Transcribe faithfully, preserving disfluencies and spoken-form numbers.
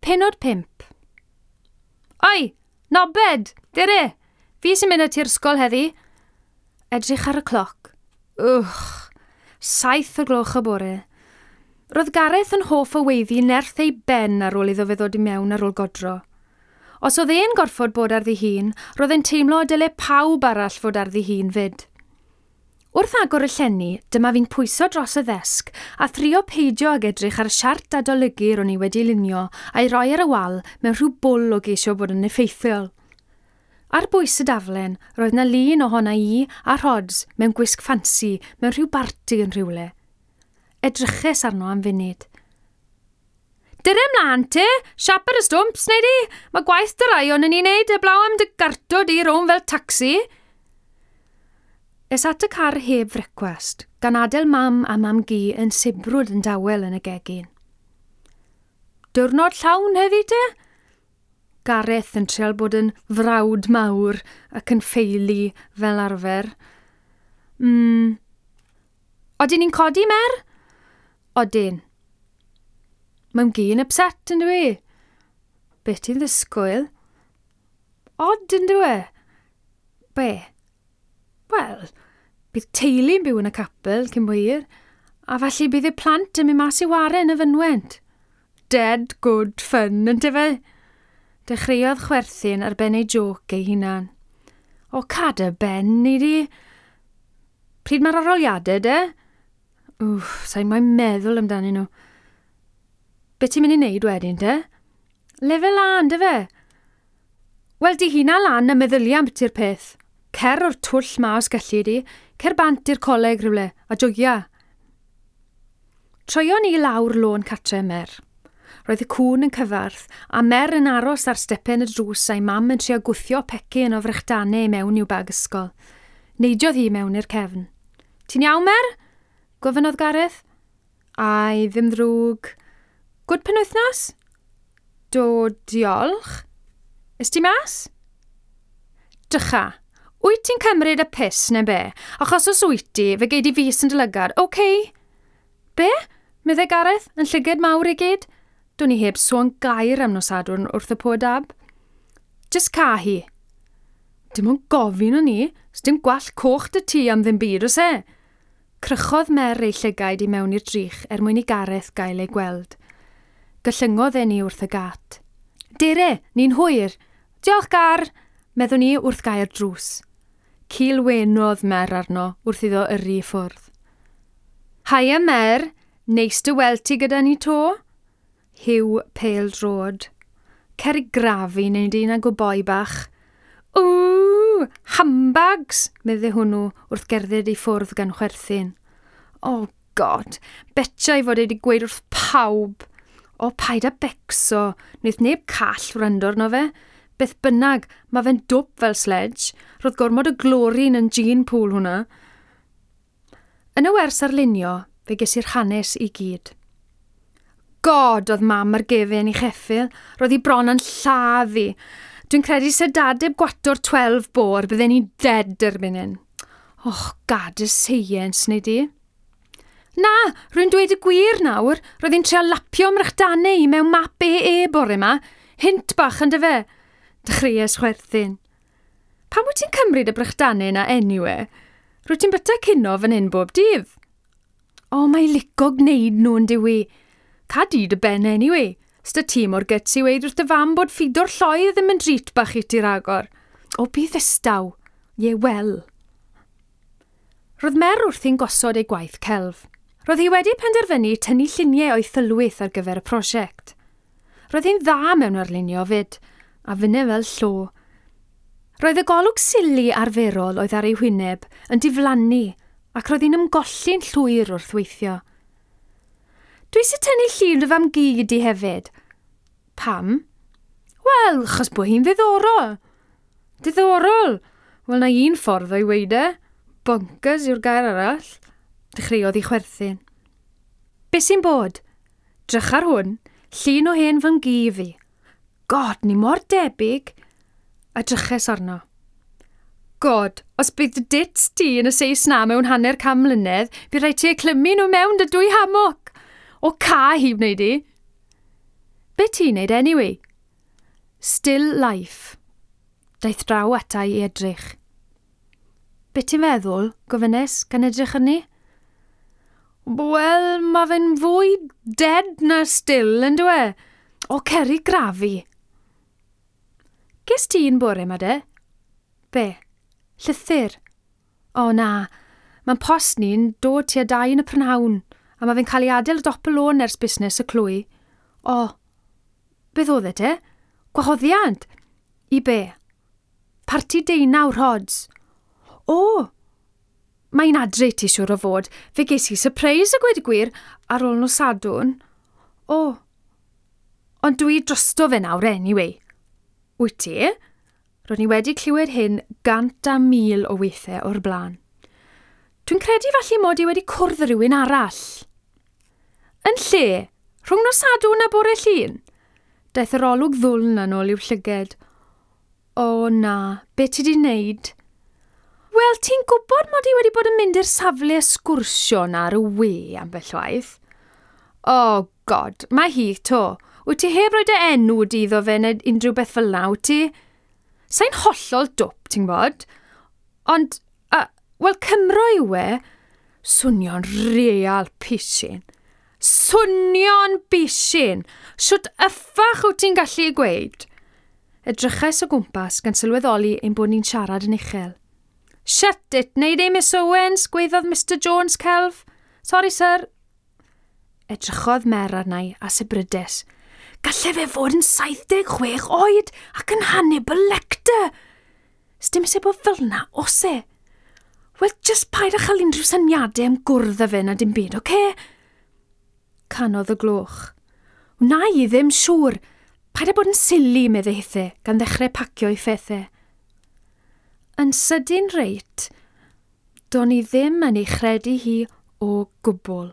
Pennod pump. Oi, Nobed, dere! Fi sy'n mynd â ti'r ysgol heddi. Edrych ar y cloc. Wch, saith o gloch y bore. Roedd Gareth yn hoff o weiddi nerth ei ben ar ôl iddo fe ddod i mewn ar ôl godro. Os oedd e'n gorfod bod ar ddihun, roedd e'n teimlo y dyle pawb arall fod ar ddihun fyd. Wrth agor y llenni, dyma fi'n pwyso dros y ddesg a thrio peidio ag edrych ar y siart adolygu ro'n i wedi lunio a'i roi ar y wal mewn rhyw bwl o geisio bod yn effeithiol. Ar bwys y daflen, roedd 'na lun ohona i a Rhods mewn gwisg ffansi mewn rhyw barti yn rhywle. Edryches arno am funud. Dyre mlaen te, siap ar y stwmps, neu di? Mae gwaith dy rai o'n ni'n neud, heblaw am dy garto di rownd fel tacsi. Es at y car heb frecwast, gan adael mam a mam-gu yn sibrwd yn dawel yn y gegin. Diwrnod llawn heddi te? Gareth yn trial bod yn frawd mawr ac yn ffeili fel arfer. Mm. Odyn ni'n codi, Mer? Odyn. Mam-gu yn upset, yn dwi? Be ti'n ddisgwyl? Od, yn dwi? Be? Wel, bydd teulu'n byw yn y capel cyn bo hir, a falle bydd y plant yn mynd mas i ware yn y fynwent. Dead good fun, yn fe? Dechreuodd chwerthin ar ben ei joc ei hunan. O, cad y ben, ni di. Pryd mae'r arholiadau, de? Wff, sa'n moyn meddwl amdanyn nhw. Be ti'n mynd i wneud wedyn, te? Lefel A, yndyfe? Wel, di hynna lan a meddylia am biti'r peth. Cer o'r twll ma os gallu di, cer bant i'r coleg rhywle, a joia. Troion ni lawr lôn catre Mer. Roedd y cŵn yn cyfarth, a Mer yn aros ar stepen y drws a'i mam yn trio gwthio pecyn o frechdanau i mewn i'w bag ysgol. Neidiodd hi mewn i'r cefn. Ti'n iawn, Mer? Gofynnodd Gareth. Ai, ddim ddrwg. Gwd penwythnos? Do, diolch. Ys ti mas? Dycha. Wyt ti'n cymryd y piss neu be? Achos os wyt ti, fe gei di fus yn dy lygad. OK. Be? Meddai Gareth, yn llygad mawr i gyd. Do'n i heb sôn gair am nos Sadwrn wrth y po dab. Just ca hi. Dim ond gofyn o'n i, dim gwallt coch dy ti am ddim byd oes e? Crychodd Mer ei llygaid i mewn i'r drych er mwyn i Gareth gael ei gweld. Gyllyngodd e ni wrth y gat. Dere, ni'n hwyr. Diolch, Gar, meddwn ni wrth gau'r drws. Cilwenodd Mer arno wrth iddo yrru i ffwrdd. Haia Mer, neis dy weld ti gyda ni to? Huw pêl-droed. Cer i grafu neu di na boi bach. Ww, handbags, meddai hwnnw wrth gerdded i ffwrdd gan chwerthin. Oh God, betio i fod e wedi gweud wrth pawb. O, paid â becso, wneith neb call wrando arno fe. Beth bynnag, mae fe'n dwp fel sledge. Roedd gormod o glorine yn gene pool hwnna. Yn y wers arlunio, fe ges i'r hanes i gyd. God, oedd mam ar gefen i cheffil. Roedd hi bron yn lladd i. Dwi'n credu se dad heb gwato'r twelve bore, bydden ni dead erbyn hyn. Och, gad y seiens, neu di. Na, rwy'n dweud y gwir nawr. Roedd hi'n trio lapio mrechdanau i mewn map E E bore yma. Hint bach yn dyfe. Dechreuais chwerthin. Pam wyt ti'n cymryd y brechdanau yna anyway? Rwyt ti'n byta cino fan hyn bob dydd? O, mae lico gwneud nhw yn diwi. Ca di dy ben anyway. Sda ti mor guts i weid wrth dy fam bod ffido'r lloi ddim yn drit bach i ti ragor. O, bydd ddistaw. Ie, wel. Roedd Mer wrthi'n gosod ei gwaith celf. Roedd hi wedi penderfynu tynnu lluniau o'i thylwyth ar gyfer y prosiect. Roedd hi'n dda mewn arlunio fyd, a finne fel llo. Roedd y golwg sili arferol oedd ar ei hwyneb yn diflannu ac roedd hi'n ymgolli'n llwyr wrth weithio. Dwi eisiau tynnu llun dy fam-gu di hefyd. Pam? Wel, achos bod hi'n ddiddorol. Diddorol? Wel, na un ffordd o'i weud e. Bonkers yw'r gair arall. Dechreuodd i chwerthin. Be sy'n bod? Drych ar hwn, llun o hen fam-gu fi. God, ni mor debyg. A dryches arno. God, os bydd dy dits ti yn y seis na mewn hanner can mlynedd, bydd rhaid ti eu clymu nhw mewn dy dwy hammock. O ca hi wneud i. Be ti'n neud anyway? Still life. Daeth draw ata i edrych. Be ti'n feddwl, gofynnes, gan edrych arni? Wel, mae fe'n fwy dead na still, yn dwi? O, ceri grafi. Ges ti'n bore ma de? Be? Llythyr? O na, mae'n post ni'n dod tua dau yn y prynhawn, a mae fe'n cael ei adael dop y lôn ers busnes y clwy. O, beth oedd e te? Gwahoddiad? I be? Parti deunaw Rhods. O, mae'n adre ti siŵr o fod. Fe ges i surprise a gweud y gwir ar ôl nos Sadwrn. O, ond dwi drosto fe nawr anyway. Wyt ti? Ro'n i wedi clywed hyn gant a mil o weithiau o'r blaen. Dwi'n credu falle mod i wedi cwrdd rhywun arall. Yn lle? Rhwng nos Sadwrn a bore Llun? Daeth yr olwg ddwln yn ôl i'w llyged. O na, be ti di wneud? Wel, ti'n gwybod mod i wedi bod yn mynd i'r safle sgwrsio na ar y we ambell waith? Oh God, mae hi to. Wyt ti heb roi dy enw di iddo fe neu unrhyw beth fel na, wyt ti? Sa'n hollol dwp, ti'n gwybod? Ond, uh, wel, Cymro yw e. Swnio'n real pishin. Swnio'n pishin. Shwt yffach wyt ti'n gallu gweud? Edrychais o gwmpas gan sylweddoli ein bod ni'n siarad yn uchel. Shut it, neud e Miss Owens, gweiddodd Mr Jones celf. Sorry, sir. Edrychodd Mer arna i a sibrydes. Galle fe fod yn saith deg chwech oed ac yn Hannibal Lecter. Sdim eisiau bod fel na, os e? Wel, just paid â chael unrhyw syniadau am gwrdd â fe na dim byd, oce? Canodd y gloch. Wna i ddim siŵr. Paid â bod yn silly, meddai hithe, gan ddechrau pacio ei phethau. Yn sydyn reit, do'n i ddim yn ei chredu hi o gwbl.